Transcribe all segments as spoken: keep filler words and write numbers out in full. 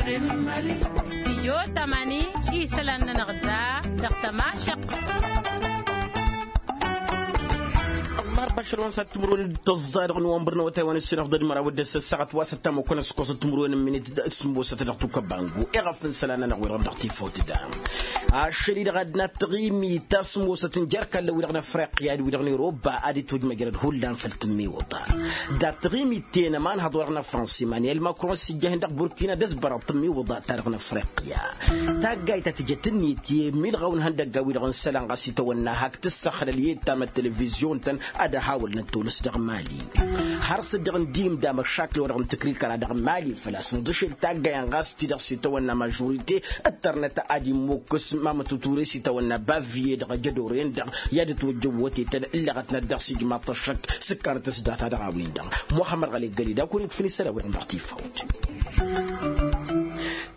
Stijyo tamani isălan-nănăɣ da dăɣ-tămašăq. Ăllarba ašăl wa n-sat timǝrwen d-tăẓẓa dăɣ-nowămbăr n-awătay wa n-ǝssin afḍăl d-măraw d-ăssăssaɣăt wa s-ăttam okănăskos timǝrwen n-minit s-sǝmmosăt dăɣ-tukăbba n-gu iɣăf n-isălan-nănăɣ wi-dăɣ dăɣ-tifawt da. Ašăl-i-dăɣ ad-dăɣ-nat taɣimit ta s-ămoosăt n-jer-kallăn-wi-dăɣ n-afriqya d-wi-dăɣ n-iroba ad-itojmăjrăd hullan făll-tǝmmiwǝḍa. Dat-taɣimit-ten ămanhăḍ-wa-dăɣ n-afrăns emanyel makron s-ijjah-in dăɣ-burkina d-ăsbărăḍ tǝmmiwǝḍa ta dăɣ-n-afriqya. Taggayt ta tǝjăt ǝnniyăt i-milɣaw n-ihăndăgga-wi-dăɣ n-isălan ɣas itawănna hak tǝssăxlăl i-tamăt televizyon-tăn ad-ăhawălnăt tolăs dăɣ-mali. Har s-dd-dăɣ-nǝddim d-amăšakǝl-wa-dăɣ n-tǝkrikăra dăɣ-mali făl-a-s nǝḍǝšel taggay-en ɣas ti-dăɣ s-itawănna mažurite ǝttărnăt ad-immukǝs mamăt uture s-itawănna baviye dăɣ-ajădor-en-dăɣ i-ad-ătwăjjăwwătetăn ǝllăɣătnăt dăɣ-s ijmaḍ-t ăššăk s-ǝkkanăt s-data dăɣ-a-wen-dăɣ. Muhămmăd ɣăli găli d-akun-in-tǝfǝn isălan-wi-dăɣ dăɣ-tifawt.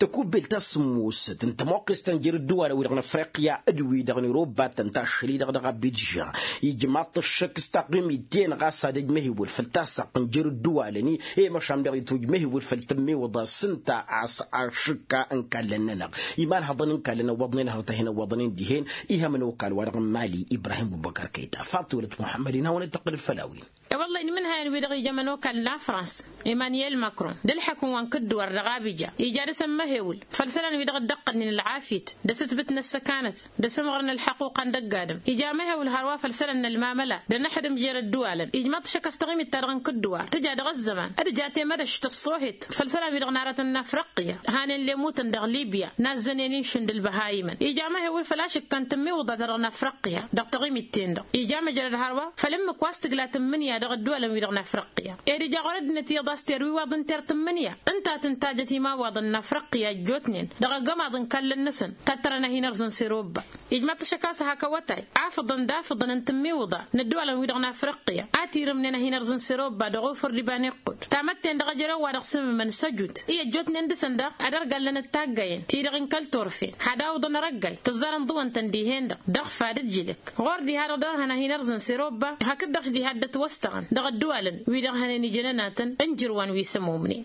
Tăkubbelt ta s-ămoosăt n-tămoqqest ta n-jer-ǝddǝwalăn-wi-dăɣ n-afriqya d-wi-dăɣ n-iroba tăn-tašăl-i-dăɣ dăɣ-abidžan ijmaḍ-t ăššăk s-taqqimit-ten ɣas ad-ăj mehewăl făll-tassaɣt n-jer-ǝddǝwalăn-i i-măšan daɣ itwǝj mehewăl făll-tǝmmiwǝḍa s-ǝnta a-s ašǝkka n-kallăn-nănăɣ imalhăḍăn n-kallăn ăwwăḍnen hărăt a hin-ăwwăḍnen dihen. Ihămăn okal-wa-dăɣ n-mali ibrahim bubăkar kăyta faḍt tiwălăt muḥămmăd-in hawăn-dd-tăqqǝlăd făll-a-wen. E-wălla-i n-imǝnhayăn-wi-dăɣ ijămăn okal n-afrans emanyel makron d-ǝlḥǝk-wi n-kǝddǝwăr dăɣ-abija ija dăɣ-s ămmăhewǝl făll-isălan-wi-dăɣ dd-ăqqălnen ălɣafyăt d-asǝtbǝt n-ăssăkanăt d-asǝmɣăr n-ălḥăquqa n-dăgg-adǝm. Ija măhewǝl hărwa făll-isălan n-ălmamăla d-anăxdǝm jer-ădduwalăn ijmaḍ-t šăkk a-s taɣimit-ta-dăɣ n-kǝddǝwar tǝja dăɣ-ăzzăman d-ǝja temădăš tăṣṣohet făll-isălan-wi-dăɣ n-aratăn n-afriqya hanen lemutăn dăɣ-libya n-azzănen inšǝn d-ǝlbăhayimăn ija măhewǝl făll-ašǝkka n-tǝmmiwǝḍa-ta-dăɣ n-afriqya dăɣ-taɣimit-ten-dăɣ. Ija măjrăd hărwa făll-ǝmmǝk wa s-tǝgla tǝmmǝnǝya dăɣ-ădduwalăn-wi-dăɣ n-afriqya ed ija ɣur-ăddinăt iyyăḍ a-s terwiwaḍ ǝnter tǝmmǝnǝya ǝnta a tǝntajăt imawaḍăn n-afriqya ăjjootnen dăɣ-agămaḍ n-ikallăn-năsăn. Tattărăn a hin-ărzăn s-erobba ijmaḍ-t ašăk a-s hak awătay afǝḍăn d-afǝḍăn n-tǝmmiwǝḍa n-ădduwalăn-wi-dăɣ n-afriqya a tirǝmnen a hin-ărzăn s-erobba dăɣ-ofăr d-iba n-iqqud tamătten dăɣ-ejărew wa dăɣ-sǝmmǝmăn săjut i-ăjjootnen dăɣ-săn daɣ ad-ărgallănăt taggayen-ti-dăɣ n-kăl-turfen had-awǝḍăn arăggay tǝẓẓarăn ḍuwăn-tăn dihen-dăɣ dăɣ-fad d-jilǝk ɣur-diha-dăɣ dăr-hăn a hin-ărzăn s-erobba hakd-dăɣ diha dd-ătwăstăɣăn dăɣ-ădduwalăn wi-dăɣ hănen ijănăn-atăn n-jǝrwan wi s-ămumnen.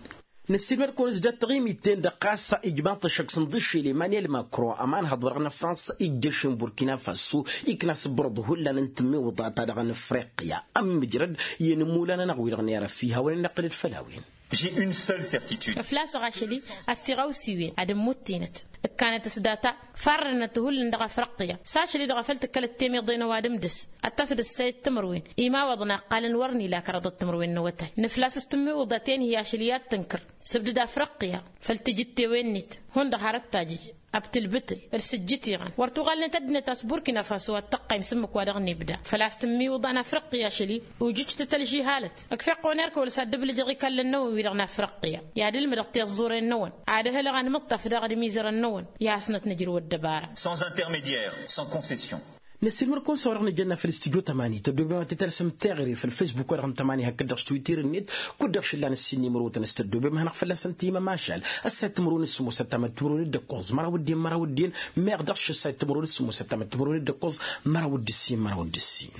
Năssiilmăd-kăwăn-ăsdat taɣimit-ten-dăɣ ɣas ijmaḍ-t ăššăk s-inḍǝššel emanyel makron ămanhăḍ-wa-dăɣ n-afrans ijjăš-in burkina faso ikna s-ǝbrăḍ hullan n-tǝmmiwǝḍa-ta-dăɣ n-afriqya ămmǝjrăd i-inǝmmulan-nănăɣ wi-dăɣ n-erăf ihawăn-in-năqqǝlăd făll-a-wen. J'ai une seule certitude. Ăflasăɣ ašăl-i a-s tiɣawsiwen ad-ǝmmuttǝynăt ǝkkanăt s-data farrănăt hullan dăɣ-afriqya s-ašăl-i-dăɣ a făl tǝkkălăt temiḍe n-ăwadǝm dăɣ-s ad-tasăd ǝssayăt timǝrwen imawaḍăn a ǝqqalăn wăr n-ila kăraḍăt timǝrwen n-awătay nǝflas s-tǝmmiwǝḍa tenhi ašăl i-ad-tǝnkăr sǝbdǝd afriqya făll-tijǝttewen-net hundăɣ har ăttajǝj ăbtǝlbǝtǝl d-sǝjjǝt iɣăn wăr tuɣalnet ăddinăt a-s burkina faso ad-tăqqayǝm s-ǝmmǝk wa dăɣ-nibda făl-a-s tǝmmiwǝḍa n-afriqya ašăl-i ujǝjtăt ălžihalăt. Ǝkfeɣ-kăwăn erk wăla s-ad-dd-ǝblǝjăɣ ikallăn-năwăn wi-dăɣ n-afriqya i-ad-ǝlmǝdăɣ tiẓẓuren-năwăn ad-ăhǝlăɣ anmǝṭṭaf daɣ d-imizărăn-năwăn i-ad-hasnăt nǝjrǝw ăddăbara. Sans intermédiaire, sans concession. Năssiilmăr-kăwăn s-a-wa-dăɣ nǝjănna făll-studyo tămani tăddobem ad-t-tălsăm teɣăre făll-facebook-wa-dăɣ n-tămani hakd-dăɣ s-twitter-net kud-dăɣ šǝllan ǝssin n-imrotăn s-tăddobem ad-hanăɣ-fălla-săn timămašal. Ăssayăt timǝrwen s-sǝmmosăt tamăt timǝrwen d-ǝkkoẓ măraw d-en măraw d-en meɣ dăɣ-s ăssayăt timǝrwen s-sǝmmosăt tamăt timǝrwen d-ǝkkoẓ măraw d-ǝssin măraw d-ǝssin.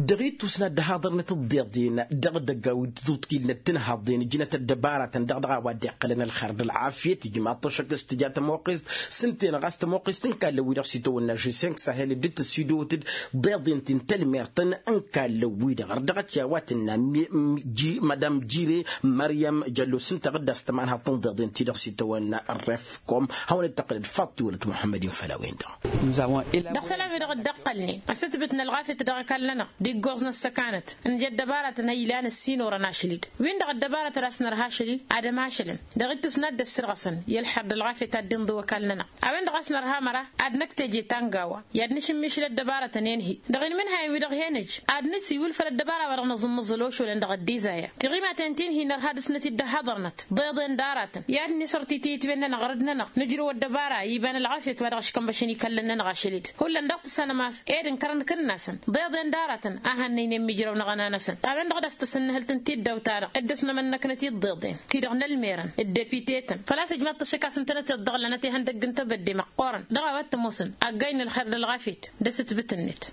Dăɣ-ittus n-ad-dd-haḍărnăt ǝḍḍeḍen dăɣ-idăgg a-wi tǝtwǝḍkilnăt tǝnhaḍen ǝjnăt ăddăbaratăn dăɣ-dăɣ a-wa dd-iqqălăn ălxer d-ălɣafyăt ijmaḍ-t ăššăk s-tǝja tămoqqest s-ǝnta-en ɣas tămoqqest n-kallăn-wi-dăɣ s-itawănna žiseng sahel dd-tăsidotăd ḍeḍen ti n-tălmertăn n-kallăn-wi-dăɣ ărdăɣăt i-a-wa tǝnna mădam jire măryăm jăllo s-ǝnta ɣǝddas tămanhaḍt n-ḍeḍen ti-dăɣ s-itawănna ărref kom hawăn-dd-tăqqǝlăd faḍt tiwălăt muḥămmăd-in făll-a-wen-dăɣ. Dăɣ-isălan-wi-dăɣ dd-ăqqălnen ăsǝtbǝt n-ălɣafyăt dăɣ-ikallăn-nănăɣ d-iggoẓ n-ăssăkanăt n-ija ăddăbaratăn a ilan ǝssin orăn ašăl-dd. Win-dăɣ ăddăbaratăn a-s nărha ašăl-i ad-ămašălăn dăɣ-ittus n-ad-dd-ăssărɣăsăn i-ălḥăr d-ălɣafyăt ad-dd-inḍǝw ăkall-nănăɣ. A-wen-dăɣ a-s nărha ămăra ad-năktăje tangawa i-ad-nǝšǝmmišǝl ăddăbaratăn enhi dăɣ-inmǝnhayăn-wi-dăɣ hen-ǝj ad-nǝsiwǝl făll-ăddăbara wa dăɣ-nǝẓǝmmǝẓǝl ošulăn dăɣ-ăddizaya. Tiɣimaten ti n-hi-nărha dăɣ-snăt-dd ăhhăḍărnăt ḍeḍen d-aratăn i-ad-nisăr titǝyǝtwen-nănăɣ ɣărăd-nănăɣ nǝjrǝw ăddăbara iba n-ălɣafyăt wa dăɣ-aškănbăšăn ikallăn-nănăɣ ašăl-dd. Hullan dăɣ-tǝssanăm a-s ed ǝnkărăn kǝnnasăn ḍeḍen d-aratăn a hannăynen mijrăw n-aɣăna-năsăn. A-wen-dăɣ d-as-tăsǝnnǝhǝlt n-tiddawt-ta-dăɣ dd-ăsnămănnăknăt i-dd-iḍeḍen ti-dăɣ n-ălmerăn d-depite-tăn făl-a-s ǝjmaḍ-t ăššăk a-s ǝntănăt iḍḍăɣlănăt ihăndăgg n-tebădde măqqoorăn dăɣ-a-wa t-ămoosăn ăggay n-ălxer d-ălɣafyăt d-asǝtbǝt-net.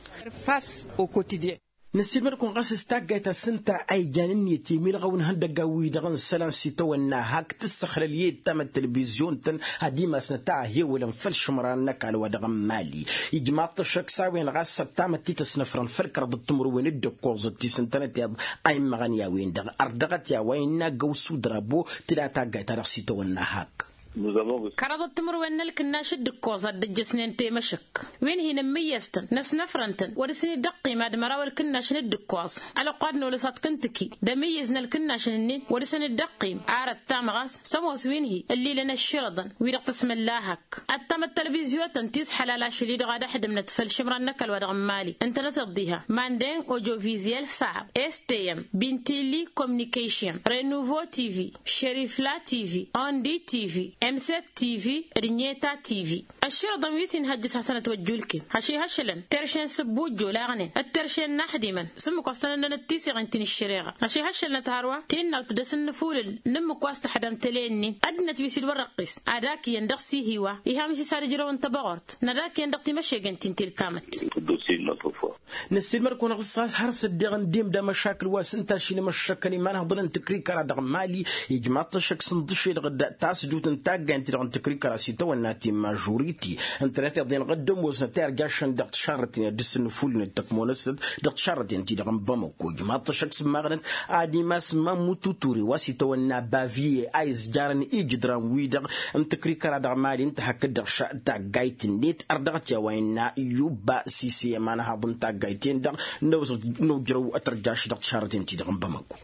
Face au quotidien. Năssiilmăd-kăwăn ɣas s-taggayt ta s-ǝnta a ijan ǝnniyăt i-milɣăw n-ihăndăggan-wi-dăɣ n-isălan s-itawănna hak tǝssăxlăl i-dd tamăttelbizyun-tăn ad-imasnăt a ăhewălăn făll-išǝmran n-ăkall wa dăɣ-n mali. Ijmaḍ-t ăššăk s-a-wen ɣas ăttamăt-t-ăsnăfrăn făll-kăraḍăt timǝrwen d-ǝkkoẓăt ti s-ǝntănăt iyyăḍ a immăɣăn i-a-wen-dăɣ ărdăɣăt i-a-wa innă găw s-udrabo tǝla taggayt-ta-dăɣ s-itawănna hak. Kăraḍăt timǝrwen n-ălkǝnnaš d-ǝkkoẓ ad-dd-ăjjăsnen temăšăk wi n-hi-nǝmmǝyyăs-tăn năsnăfrăn-tăn wăr-dăɣ-săn-dd-ăqqim ad-măraw ălkǝnnašăn d-ǝkkoẓ ălwăqq wa d-nolăs ad-t-kǝntǝki d-amǝyyǝz n-ălkǝnnašăn-nin wăr-dăɣ-săn-dd-ăqqim. Ar ăttamăɣ a-s s-ămoos wi n-hi-ǝllilăn ăšširăḍăn wi-dăɣ tăsmălla hak ăttam ăttălvizyotăn ti s-ăḥlal ašăl-i-dăɣ ad-ăḥdǝmnăt făll-išǝmran n-ăkall wa dăɣ-n mali ǝntănăteḍ diha mandeng ojovizyel saɣ s t m bintilli communication renuvo tv šerifla tv ondi tv emset tv d-nyeta tv. Ăšširăḍăn wi s-inhăjjǝs hasăn-ătwăjjulkǝm ašihăššălăn terše n-sǝbbu ǝjjolaɣnen d-terše n-inaxdimăn s-ǝmmǝk wa s-tăn-ănnănăt tiseɣen ti n-ǝššăreɣa. Ašihăššălnăt hărwa ti n-nawt d-asǝnnǝfulǝl n-ǝmmǝk wa s-tăxdăm tele-nin ăddinăt wi s-dd-wăr-ăqqis ad-akǝyăn dăɣ-s ihiwa ihamǝš-s ad-ǝjrăwăn tăbăɣort n-ad-akǝyăn dăɣ-timăšegen ti n-tilkamăt. Năssiilmăd-kăwăn ɣas har s-ăddeɣ ǝndem d-amăšakǝl wa s-ǝnta ašilăm ăššăkkăn imanhăḍăn n-tǝkrikăra dăɣ-mali. Ijmaḍ-t ăššăk s-ǝnḍǝšedăɣ-dd tasjut n-taggayăn-ti-dăɣ n-tǝkrikăra s-itawănna ti n-mažuriti ǝntănăt iḍen ɣăddăm wăznăt i-arjašăn dăɣ-tišarrăten i-ad-dd-sǝnnǝfulǝnăt tăkmonăsăt dăɣ-tišarrăten-ti-dăɣ n-bamăko. Ijmaḍ-t ăššăk s-ǝmmaɣnăt ad-imas mammu tuture wa s-itawănna bavie a izjarăn ijǝdran-wi-dăɣ n-tǝkrikăra dăɣ-mali ǝnta hakd-dăɣ taggayt-net ărdăɣăt i-a-wa innă yubba sise i-imanhaḍ n-taggayt-en-dăɣ n-ojrăw tărjaš dăɣ-tišarrăten-ti-dăɣ n-bamăko.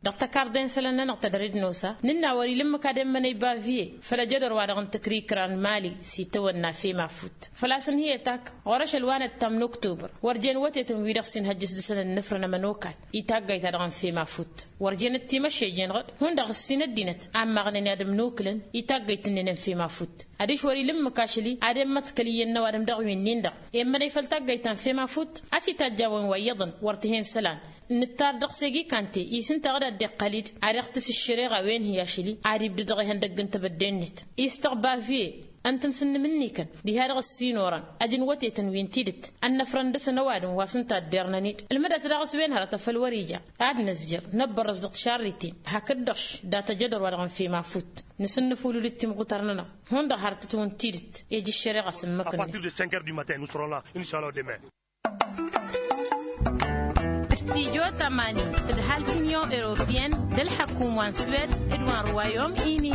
Dăɣ-tăkarḍe n-isălan-nănăɣ tadăre d-nosa nǝnn'-a wăr-ila ǝmmǝk ad-emmănăy bavie făll-ajădor wa-dăɣ n-tǝkrikra n-mali s-itawănna fema fut. Făl-a-s ǝnhǝyăt ak ɣur-ašăl wa n-ăttam n-oktobăr wăr jen wătetăn wi-dăɣ s-inhăjjăs dăɣ-săn ǝnnǝfrăn ămănokal i-taggayt-ta-dăɣ n-fema fut. Wăr jenăt timăššejen ɣǝd hundăɣ ǝssin ăddinăt a ǝmmaɣnen i-ad-ǝmnukǝlăn i-taggayt-ǝnnin n-fema fut. Adiš wăr-ila ǝmmǝk ašăl-i ad-emmăḍkăl iyyăn n-ăwadǝm dăɣ-wi-nin-dăɣ emmănăy făll-taggayt ta n-fema fut. A-s itajj a-wen wa iyyăḍăn wăr t-hen isălan. Nǝttar dăɣ-s egi kante-i s-ǝnta a dd-iqqăl-dd ad-iɣtǝs ǝššăreɣa wen hi-ašăl-i ad-ibdăd dăɣ-ihăndăgg n-tebădde-net. Istăɣ bavie ǝntăn s-ǝnnǝmǝnnikăn diha-dăɣ ăssinorăn ăjǝnwătetăn wi n-tidǝt ănnăfrăn dăɣ-săn ăwadǝm wa s-ǝnta ăddernăn-dd. Ǝlmǝdăt daɣ s-wen hărăt a făl wăr-ija ad-nǝzjăr năbbărrăs dăɣ-tišarriten hakd-dăɣ dat-ajădor wa dăɣ-n fema fut. Nǝsǝnnǝfulǝl d-timɣutăr-nănăɣ hundăɣ hărătăt-wăn tidǝt. Ej ǝššăreɣa s-ǝmmǝk-net. Studyo tămani tǝdhal t-inyon europiyăn d-ălḥăkum wa n-swed d-wa n-ruwayom ini.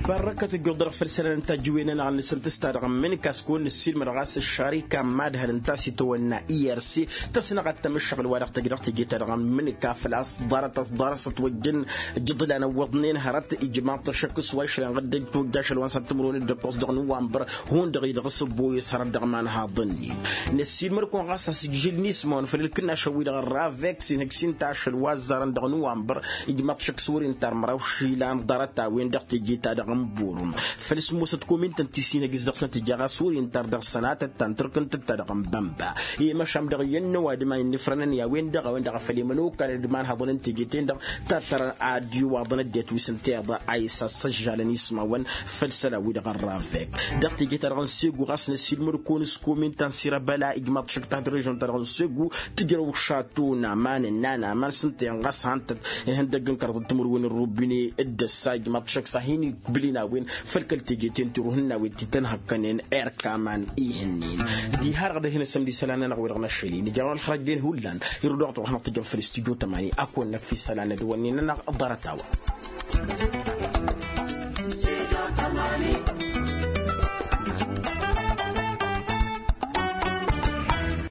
Barrăkăt ǝjjuḍ-dăɣ făll-isălan n-tajǝwen-nănăɣ n-asǝntǝsta dăɣ-n mǝnǝka s-kăwăn-nǝssilmăd ɣas ăššarika n-imadhăl ǝnta a-s itawănna irc tăsnăɣăt tamǝššăɣǝl wa dăɣ-tăjj dăɣ-teje-ta-dăɣ n-mǝnǝka făl-a-s ḍarăt ḍarăs ătwăjjăn. Jǝḍlan ăwwăḍnen hărăt ijmaḍ-t ăššăk s-wa išlăn ɣǝddăj tojj ašăl wa n-săr timǝrwen d-ǝkkoẓ dăɣ-nǝwwănbăr. Hundăɣ-i dăɣ-s ăbboyăs hărăt dăɣ-imanhaḍăn-in. Năssiilmăd-kăwăn ɣas a-s ǝjžǝl n-ismawăn făll-ǝlkǝnnašăn-wi-dăɣ ălravek s-inhǝj s-inta ašăl wa ăzzarăn dăɣ-nǝwwănbăr. Ijmaḍ-t ăššăk s-wăr-intar măraw išilan ḍarăt-a-wen dăɣ-teje-ta-dăɣ n-burum. Făll-sǝmmosăt komintăn ti s-inhǝj s-dăɣ-snăt ija ɣas wăr-intar dăɣ-sănatăt ta n-tărkǝntăt ta dăɣ-n bănba. I-măšam dăɣ-iyyăn n-ăwadǝm a innǝfrănăn i-a-wen-dăɣ a-wen-dăɣ a făl i-mănokalăn d-imanhăḍăn n-teje-ten-dăɣ. Tattărăn ad-iwaḍăn ăddinăt wi s-ǝnta iḍa a isăssăžžalăn ismawăn. Făll-isălan-wi-dăɣ ărravek dăɣ-teje-ta-dăɣ n-segu ɣas năssiilmăd-kăwăn s-komintăn s-irăbăla ijmaḍ-t ăššăk tahdăr režon-ta-dăɣ n-segu. Tǝjrăw šatun aman n-anaman s-ǝnta-en ɣas han-tăt ihăndăgg n-kărăḍ timǝrwen n-rubine. D-ăssa ijmaḍ-t ăššăk s-ad-hin-ikbǝl-in a-wen făll-kăl-teje-ten ti ruhǝn n-a-wen ti tăn-hăkkănen erk aman ihǝnnin. Diha-dăɣ dăɣ-hin-ăssămd isălan-nănăɣ wi-dăɣ n-ašăl-i nǝja wa n-ălxărăjjen hullan. Irǝw dăɣ-tăruḥ năɣ tǝjjăm făll-istudyo tămani ad-kăwăn-năff isălan d-wănnin-nănăɣ. Ḍarăt-a-wa.